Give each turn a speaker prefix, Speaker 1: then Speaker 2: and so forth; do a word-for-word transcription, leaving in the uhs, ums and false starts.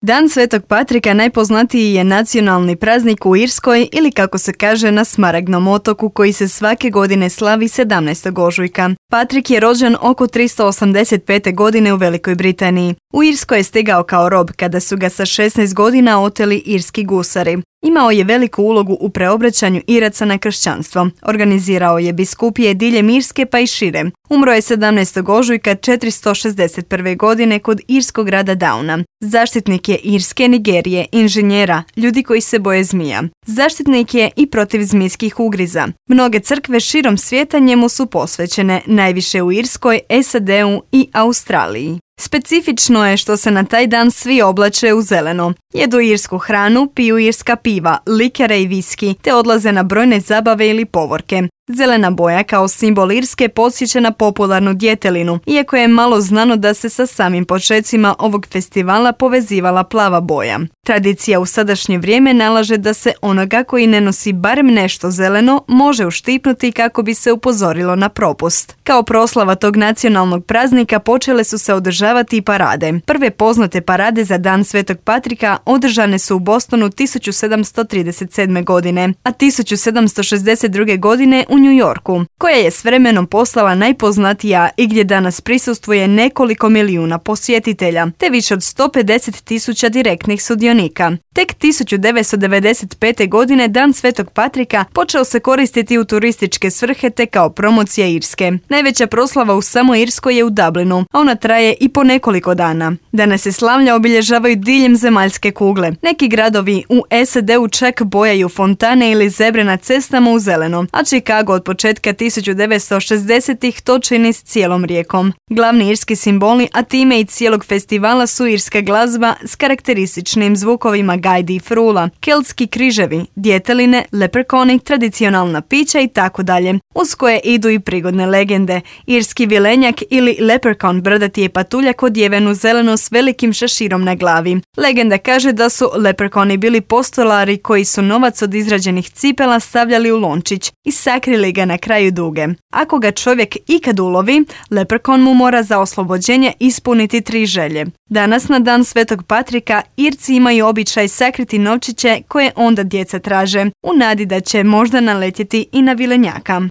Speaker 1: Dan Svetog Patrika najpoznatiji je nacionalni praznik u Irskoj ili kako se kaže na Smaragdnom otoku koji se svake godine slavi sedamnaestog ožujka. Patrik je rođen oko tristo osamdeset pete. godine u Velikoj Britaniji. U Irskoj je stigao kao rob kada su ga sa šesnaest godina oteli irski gusari. Imao je veliku ulogu u preobraćanju Iraca na kršćanstvo. Organizirao je biskupije diljem Irske pa i šire. Umro je sedamnaestog ožujka četiristo šezdeset prve. godine kod irskog grada Downa. Zaštitnik je Irske, Nigerije, inženjera, ljudi koji se boje zmija. Zaštitnik je i protiv zmijskih ugriza. Mnoge crkve širom svijeta njemu su posvećene, najviše u Irskoj, S A D-u i Australiji. Specifično je što se na taj dan svi oblače u zeleno. Jedu irsku hranu, piju irska piva, likere i viski, te odlaze na brojne zabave ili povorke. Zelena boja kao simbol Irske podsjeća na popularnu djetelinu, iako je malo znano da se sa samim počecima ovog festivala povezivala plava boja. Tradicija u sadašnje vrijeme nalaže da se onoga koji ne nosi barem nešto zeleno može uštipnuti kako bi se upozorilo na propust. Kao proslava tog nacionalnog praznika počele su se održavati i parade. Prve poznate parade za Dan Svetog Patrika održane su u Bostonu tisuću sedamsto trideset sedme. godine, a tisuću sedamsto šezdeset druge. godine u New Yorku, koja je s vremenom postala najpoznatija i gdje danas prisustvuje nekoliko milijuna posjetitelja, te više od sto pedeset tisuća direktnih sudionika. Tek tisuću devetsto devedeset pete. godine Dan Svetog Patrika počeo se koristiti u turističke svrhe te kao promocija Irske. Najveća proslava u samoj Irskoj je u Dublinu, a ona traje i po nekoliko dana. Danas se slavlja obilježavaju diljem zemaljske kugle. Neki gradovi u S A D-u čak bojaju fontane ili zebre na cestama u zeleno, a Chicago od početka tisuću devetsto šezdesetih to čini s cijelom rijekom. Glavni irski simboli, a time i cijelog festivala su irska glazba s karakterističnim zvukovima gajdi i frula, keltski križevi, djeteline, leprekoni, tradicionalna pića i tako dalje, uz koje idu i prigodne legende. Irski vilenjak ili leprechaun brdati je patuljak odjeven u zeleno s velikim šeširom na glavi. Legenda kaže da su leprechoni bili postolari koji su novac od izrađenih cipela stavljali u lončić i sakrili ga na kraju duge. Ako ga čovjek ikad ulovi, leprechaun mu mora za oslobođenje ispuniti tri želje. Danas na Dan Svetog Patrika Irci imaju običaj sakriti novčiće koje onda djeca traže, u nadi da će možda naletjeti i na vilenjaka.